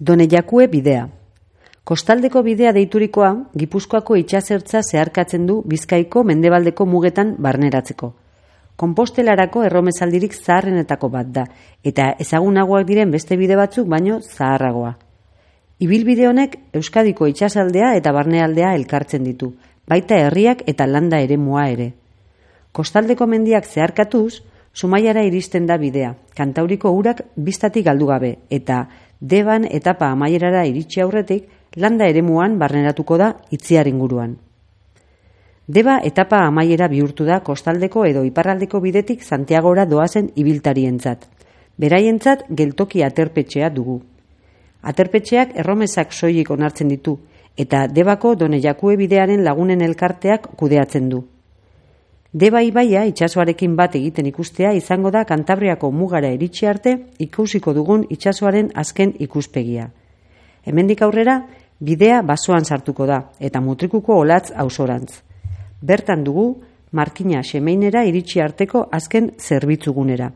Donejakue bidea. Kostaldeko bidea deiturikoa, Gipuzkoako itsasertza zeharkatzen du Bizkaiko mendebaldeko mugetan barneratzeko. Konpostelarako erromesaldirik zaharrenetako bat da, eta ezagunagoak diren beste bide batzuk baino zaharragoa. Ibilbide honek Euskadiko itsasaldea eta barnealdea elkartzen ditu, baita herriak eta landa eremua ere. Kostaldeko mendiak zeharkatuz, Zumaiara iristen da bidea, Kantauriko urak bistatik galdu gabe, eta Deban etapa amaierara iritsi aurretik, landa eremuan barneratuko da Itziar inguruan. Deba etapa amaiera bihurtu da kostaldeko edo iparraldeko bidetik Santiagora doazen ibiltarientzat. Beraientzat geltoki aterpetxea dugu. Aterpetxeak erromesak soilik onartzen ditu, eta Debako Donejakue bidearen lagunen elkarteak kudeatzen du. Deba ibaia itsasoarekin bat egiten ikustea izango da Kantabriako mugara iritsi arte ikusiko dugun itsasoaren azken ikuspegia. Hemendik aurrera, bidea basoan sartuko da, eta Mutrikuko Olatz ausorantz. Bertan dugu, Markina Xemeinera iritsi arteko azken zerbitzugunera.